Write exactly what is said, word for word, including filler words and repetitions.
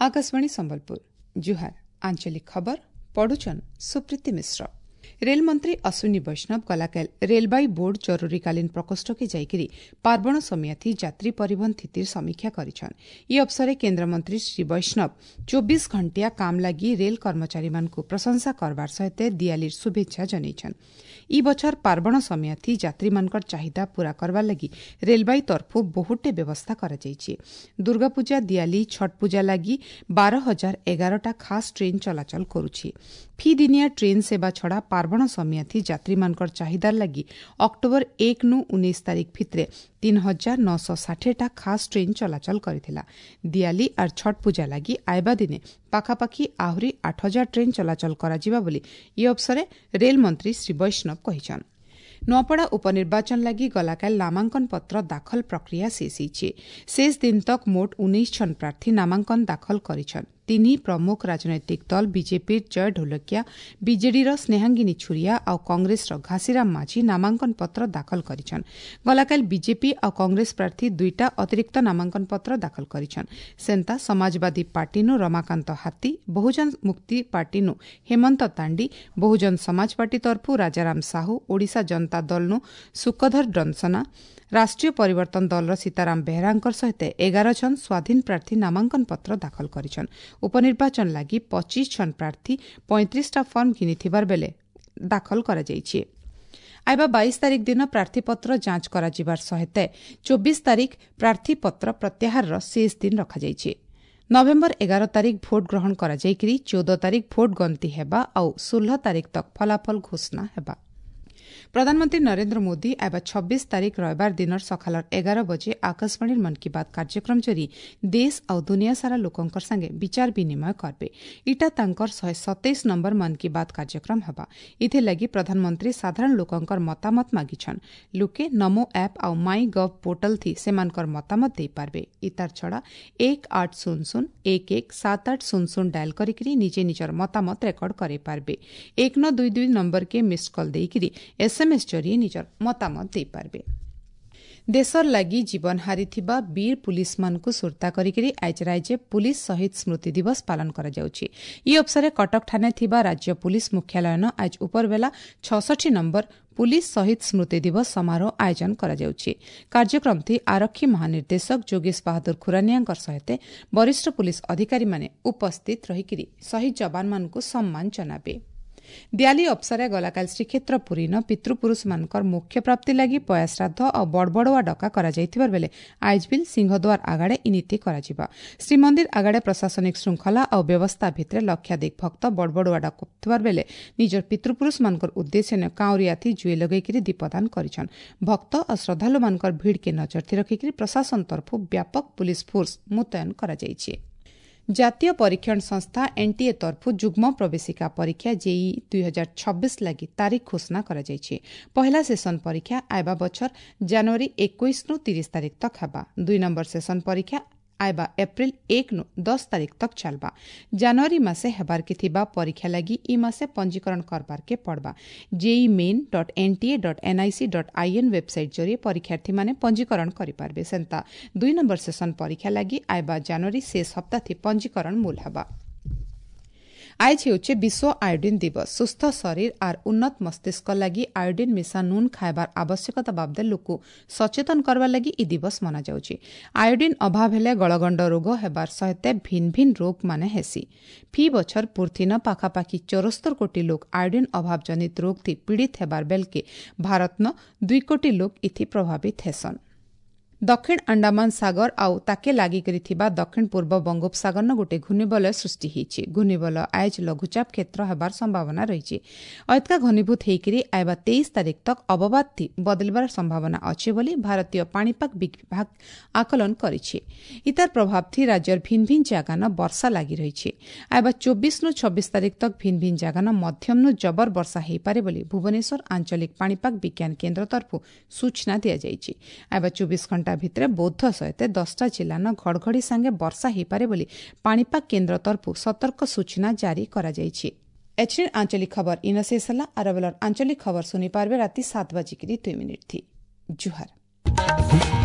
ଆକାଶବାଣୀ ସମ୍ବଲପୁର ଜୁହାର ଆଞ୍ଚଳିକ ଖବର ପଢୁଛନ୍ ସୁପ୍ରୀତି ମିଶ୍ର ରେଲମନ୍ତ୍ରୀ ଅଶ୍ୱିନୀ ବୈଷ୍ଣବ ଗଲାକାଲ ରେଲବାଇ ବୋର୍ଡ ଜରୁରୀକାଳୀନ ପ୍ରକୋଷ୍ଠକେ ଯାଇକରି ପାର୍ବଣ ସମିୟାଥି ଯାତ୍ରୀ ପରିବହନ ସ୍ଥିତିର ସମୀକ୍ଷା କରିଛନ୍ ଇ ଅବସରେ କେନ୍ଦ୍ରମନ୍ତ୍ରୀ ଶ୍ରୀ ବୈଷ୍ଣବ ଚବିଶ ଘଣ୍ଟିଆ କାମ ଲାଗି ରେଲ କର୍ମଚାରୀମାନଙ୍କୁ ପ୍ରଶଂସା କରବାର ସହିତ ଦିଆଲିର ଶୁଭେଚ୍ଛା ଜଣାଇଛନ୍ ଇ ବଛର ପାର୍ବଣ ସମିୟାଥି ଯାତ୍ରୀମାନଙ୍କର ଚାହିଦା ପୂରା କରବାର ଲାଗି ରେଲବାଇ ତରଫୁ ବହୁତଟେ ବ୍ୟବସ୍ଥା କରାଯାଇଛି ଦୁର୍ଗାପୂଜା ଦିଆଲି ଛଟ୍ ପୂଜା ଲାଗି ବାର ହଜାର ଏଗାରଟା ଖାସ୍ ଟ୍ରେନ୍ ଚଳାଚଳ କରୁଛି ଫି ଦିନିଆ ଟ୍ରେନ୍ ସେବା ଛଡ଼ା ପାର୍ବଣ ସମିୟାଥି ଯାତ୍ରୀମାନଙ୍କର ଚାହିଦାର ଲାଗି ଅକ୍ଟୋବର ଏକ ନୁ ଉଣେଇଶ ତାରିଖ ଭିତରେ ତିନି ହଜାର ନଅଶହ ଷାଠିଏଟା ଖାସ୍ ଟ୍ରେନ୍ ଚଳାଚଳ କରିଥିଲା ଦିଆଲି ଆର୍ ଛଟ୍ ପୂଜା ଲାଗି ଆଇବା ଦିନେ ପାଖାପାଖି ଆହୁରି ଆଠ ହଜାର ଟ୍ରେନ୍ ଚଳାଚଳ କରାଯିବା ବୋଲି ଇ ଅବସରେ ରେଲମନ୍ତ୍ରୀ ଶ୍ରୀ ବୈଷ୍ଣବ କହିଛନ୍ ନୂଆପଡ଼ା ଉପନିର୍ବାଚନ ଲାଗି ଗଲାକାଲ ନାମାଙ୍କନ ପତ୍ର ଦାଖଲ ପ୍ରକ୍ରିୟା ଶେଷ ହୋଇଛି ଶେଷ ଦିନ ତକ ମୋଟ ଉଣେଇଶ ଜଣ ପ୍ରାର୍ଥୀ ନାମାଙ୍କନ ଦାଖଲ କରିଛନ୍ ତିନି ପ୍ରମୁଖ ରାଜନୈତିକ ଦଳ ବିଜେପିର ଜୟ ଢୋଲକିଆ ବିଜେଡିର ସ୍ନେହାଙ୍ଗିନୀ ଛୁରିଆ ଆଉ କଂଗ୍ରେସର ଘାସିରାମ ମାଝୀ ନାମାଙ୍କନ ପତ୍ର ଦାଖଲ କରିଛନ୍ ଗଲାକାଲି ବିଜେପି ଆଉ କଂଗ୍ରେସ ପ୍ରାର୍ଥୀ ଦୁଇଟା ଅତିରିକ୍ତ ନାମାଙ୍କନ ପତ୍ର ଦାଖଲ କରିଛନ୍ ସେନ୍ତା ସମାଜବାଦୀ ପାର୍ଟିନୁ ରମାକାନ୍ତ ହାତୀ ବହୁଜନ ମୁକ୍ତି ପାର୍ଟିନୁ ହେମନ୍ତ ତାଣ୍ଡି ବହୁଜନ ସମାଜ ପାର୍ଟି ତରଫୁ ରାଜାରାମ ସାହୁ ଓଡ଼ିଶା ଜନତା ଦଳନୁ ସୁକଧର ଡନସନା ରାଷ୍ଟ୍ରୀୟ ପରିବର୍ତ୍ତନ ଦଳର ସୀତାରାମ ବେହେରାଙ୍କ ସହିତ ଏଗାର ଜଣ ସ୍ୱାଧୀନ ପ୍ରାର୍ଥୀ ନାମାଙ୍କନ ପତ୍ର ଦାଖଲ କରିଛନ୍ ଉପନିର୍ବାଚନ ଲାଗି ପଚିଶ ଜଣ ପ୍ରାର୍ଥୀ ପଇଁତିରିଶଟା ଫର୍ମ ଘିନିଥିବାର ବେଲେ ଦାଖଲ କରାଯାଇଛି ଆଇବା ବାଇଶ ତାରିଖ ଦିନ ପ୍ରାର୍ଥୀପତ୍ର ଯାଞ୍ଚ କରାଯିବାର ସହିତ ଚବିଶ ତାରିଖ ପ୍ରାର୍ଥୀପତ୍ର ପ୍ରତ୍ୟାହାରର ଶେଷ ଦିନ ରଖାଯାଇଛି ନଭେମ୍ବର ଏଗାର ତାରିଖ ଭୋଟ ଗ୍ରହଣ କରାଯାଇକରି ଚଉଦ ତାରିଖ ଭୋଟ ଗଣତି ହେବା ଆଉ ଷୋହଳ ତାରିଖ ତକ ଫଳାଫଳ ଘୋଷଣା ହେବା ପ୍ରଧାନମନ୍ତ୍ରୀ ନରେନ୍ଦ୍ର ମୋଦି ଆଇବା ଛବିଶ ତାରିଖ ରବିବାର ଦିନର ସକାଳର ଏଗାର ବଜେ ଆକାଶବାଣୀର ମନ୍ କି ବାତ୍ କାର୍ଯ୍ୟକ୍ରମ ଜରି ଦେଶ ଆଉ ଦୁନିଆ ସାରା ଲୋକଙ୍କର ସାଙ୍ଗେ ବିଚାର ବିନିମୟ କରବେ ଇଟା ତାଙ୍କର ଶହେ ସତେଇଶ ନମ୍ବର ମନ୍ କି ବାତ୍ କାର୍ଯ୍ୟକ୍ରମ ହେବା ଏଥିଲାଗି ପ୍ରଧାନମନ୍ତ୍ରୀ ସାଧାରଣ ଲୋକଙ୍କର ମତାମତ ମାଗିଛନ୍ ଲୋକେ ନମୋ ଆପ୍ ଆଉ ମାଇ ଗଭ୍ ପୋର୍ଟାଲ ଥି ସେମାନଙ୍କର ମତାମତ ଦେଇପାରବେ ଇତାର ଛଡ଼ା ଏକ ଆଠ ଶୂନ ଶୂନ ଏକ ଏକ ସାତ ଆଠ ଶୂନ ଶୂନ ଡାଏଲ୍ କରିକିରି ନିଜେ ନିଜର ମତାମତ ରେକର୍ଡ କରାଇପାରବେ ଏକ ନଅ ଦୁଇ ଦୁଇ ନମ୍ବରକେ ମିସ୍ଡ କଲ୍ ଦେଇକିରି ଏସ୍ଏମ୍ଏସ୍ ଜରିଏ ନିଜର ମତାମତ ଦେଇପାରିବେ ଦେଶର ଲାଗି ଜୀବନ ହାରିଥିବା ବୀର ପୁଲିସମାନଙ୍କୁ ସୁରତା କରିକିରି ଆଜି ରାଜ୍ୟ ପୁଲିସ ଶହୀଦ ସ୍ମୃତି ଦିବସ ପାଳନ କରାଯାଉଛି ଇ ଅବସରେ କଟକଠାରେ ଥିବା ରାଜ୍ୟ ପୁଲିସ ମୁଖ୍ୟାଳୟନ ଆଜି ଉପରବେଲା ଛଅଷଠି ନମ୍ବର ପୁଲିସ ଶହୀଦ ସ୍ମୃତି ଦିବସ ସମାରୋହ ଆୟୋଜନ କରାଯାଉଛି କାର୍ଯ୍ୟକ୍ରମଟି ଆରକ୍ଷୀ ମହାନିର୍ଦ୍ଦେଶକ ଯୋଗେଶ ବାହାଦୁର ଖୁରାନିଆଙ୍କ ସହିତ ବରିଷ୍ଠ ପୁଲିସ ଅଧିକାରୀମାନେ ଉପସ୍ଥିତ ରହିକରି ଶହୀଦ ଯବାନମାନଙ୍କୁ ସମ୍ମାନ ଜଣାବେ ଦିଆଲି ଅବସରେ ଗଲାକାଲି ଶ୍ରୀକ୍ଷେତ୍ର ପୁରୀନ ପିତୃପୁରୁଷମାନଙ୍କର ମୋକ୍ଷ ପ୍ରାପ୍ତି ଲାଗି ପୟାଶ୍ରାଦ୍ଧ ଆଉ ବଡ଼ବଡ଼ୁଆ ଡକା କରାଯାଇଥିବାର ବେଲେ ଆଇଜବିଲ୍ ସିଂହଦ୍ୱାର ଆଗାଡ଼େ ଇ ନୀତି କରାଯିବା ଶ୍ରୀମନ୍ଦିର ଆଗାଡ଼େ ପ୍ରଶାସନିକ ଶୃଙ୍ଖଳା ଆଉ ବ୍ୟବସ୍ଥା ଭିତରେ ଲକ୍ଷାଧିକ ଭକ୍ତ ବଡ଼ବଡ଼ୁଆ ଡାକୁଥିବାର ବେଲେ ନିଜର ପିତୃପୁରୁଷମାନଙ୍କର ଉଦ୍ଦେଶ୍ୟ କାଉଁରିଆଥି ଜୁଏ ଲଗେଇକିରି ଦୀପଦାନ କରିଛନ୍ ଭକ୍ତ ଆଉ ଶ୍ରଦ୍ଧାଳୁମାନଙ୍କର ଭିଡ଼କେ ନଜରଥି ରଖିକିରି ପ୍ରଶାସନ ତରଫରୁ ବ୍ୟାପକ ପୁଲିସ ଫୋର୍ସ ମୁତୟନ କରାଯାଇଛି ଜାତୀୟ ପରୀକ୍ଷଣ ସଂସ୍ଥା ଏନ୍ଟିଏ ତରଫରୁ ଯୁଗ୍ମ ପ୍ରବେଶିକା ପରୀକ୍ଷା ଜେଇଇ ଦୁଇ ହଜାର ଛବିଶ ଲାଗି ତାରିଖ ଘୋଷଣା କରାଯାଇଛି ପହିଲା ସେସନ ପରୀକ୍ଷା ଆଇବା ବଛର ଜାନୁଆରୀ ଏକୋଇଶରୁ ତିରିଶ ତାରିଖ ତକ ହେବା ଦୁଇ ନମ୍ବର ସେସନ ପରୀକ୍ଷା ଆଇବା ଏପ୍ରିଲ ଏକ ନୁ ଦଶ ତାରିଖ ତକ ଚାଲବା ଜାନୁଆରୀ ମାସେ ହେବାରକେ ଥିବା ପରୀକ୍ଷା ଲାଗି ଇ ମାସେ ପଞ୍ଜୀକରଣ କରବାରକେ ପଡ଼ବା JEE Main dot NTA dot NIC dot IN website ଜରିଏ ପରୀକ୍ଷାର୍ଥୀମାନେ ପଞ୍ଜୀକରଣ କରିପାରିବେ ସେନ୍ତା ଦୁଇ ନମ୍ବର ସେସନ ପରୀକ୍ଷା ଲାଗି ଆଇବା ଜାନୁଆରୀ ଶେଷ ସପ୍ତାଥି ପଞ୍ଜୀକରଣ ମୂଲ ହେବା ଆଏଜ୍ ହେଉଛେ ବିଶ୍ୱ ଆୟୋଡିନ୍ ଦିବସ ସୁସ୍ଥ ଶରୀର ଆର୍ ଉନ୍ନତ ମସ୍ତିଷ୍କ ଲାଗି ଆୟୋଡିନ୍ ମିଶା ନୁନ୍ ଖାଇବାର ଆବଶ୍ୟକତା ବାବଦେ ଲୋକ ସଚେତନ କରବାର ଲାଗି ଇ ଦିବସ ମନାଯାଉଛି ଆୟୋଡିନ୍ ଅଭାବ ହେଲେ ଗଳଗଣ୍ଡ ରୋଗ ହେବାର ସହିତ ଭିନ୍ ଭିନ୍ ରୋଗ ମାନେ ହେସି ଫି ବଛର ପୁର୍ଥିନ ପାଖାପାଖି ଚଉସ୍ତର କୋଟି ଲୋକ ଆୟୋଡିନ୍ ଅଭାବ ଜନିତ ରୋଗ ଥି ପୀଡ଼ିତ ହେବାର ବେଲକେ ଭାରତନ ଦୁଇ କୋଟି ଲୋକ ଇଥି ପ୍ରଭାବିତ ହେସନ୍ ଦକ୍ଷିଣ ଆଣ୍ଡାମାନ ସାଗର ଆଉ ତାକେ ଲାଗିକରି ଥିବା ଦକ୍ଷିଣ ପୂର୍ବ ବଙ୍ଗୋପସାଗରନ ଗୋଟିଏ ଘୂର୍ଣ୍ଣିବଳୟ ସୃଷ୍ଟି ହୋଇଛି ଘୂର୍ଣ୍ଣିବଳୟ ଆଏଜ୍ ଲଘୁଚାପ କ୍ଷେତ୍ର ହେବାର ସମ୍ଭାବନା ରହିଛି ଅଏତକା ଘନୀଭୂତ ହୋଇକରି ଆଇବା ତେଇଶ ତାରିଖ ତକ ଅବବାଦଟି ବଦଳିବାର ସମ୍ଭାବନା ଅଛି ବୋଲି ଭାରତୀୟ ପାଣିପାଗ ବିଭାଗ ଆକଳନ କରିଛି ଇତାର ପ୍ରଭାବଥି ରାଜ୍ୟର ଭିନ୍ ଭିନ୍ ଜାଗାନ ବର୍ଷା ଲାଗି ରହିଛି ଆଇବା ଚବିଶରୁ ଛବିଶ ତାରିଖ ତକ ଭିନ୍ ଭିନ୍ ଜାଗାନ ମଧ୍ୟମନୁ ଜବର ବର୍ଷା ହୋଇପାରେ ବୋଲି ଭୁବନେଶ୍ୱର ଆଞ୍ଚଳିକ ପାଣିପାଗ ବିଜ୍ଞାନ କେନ୍ଦ୍ର ତରଫରୁ ସୂଚନା ଦିଆଯାଇଛି ଆଇବା ଚବିଶ ଘଣ୍ଟା ଭିତରେ ବୌଦ୍ଧ ସହିତ ଦଶଟା ଜିଲ୍ଲାନ ଘଡ଼ଘଡ଼ି ସାଙ୍ଗେ ବର୍ଷା ହୋଇପାରେ ବୋଲି ପାଣିପାଗ କେନ୍ଦ୍ର ତରଫରୁ ସତର୍କ ସୂଚନା ଜାରି କରାଯାଇଛି ଏଚ୍ଏନ୍ ଆଞ୍ଚଳିକ ଖବର ଇନ ଶେଷ ହେଲା ଆରବେଲର ଆଞ୍ଚଳିକ ଖବର ଶୁଣିପାରିବେ ରାତି ସାତ ବାଜିକିରି ଦୁଇ ମିନିଟ୍ ଥି ଜୁହାର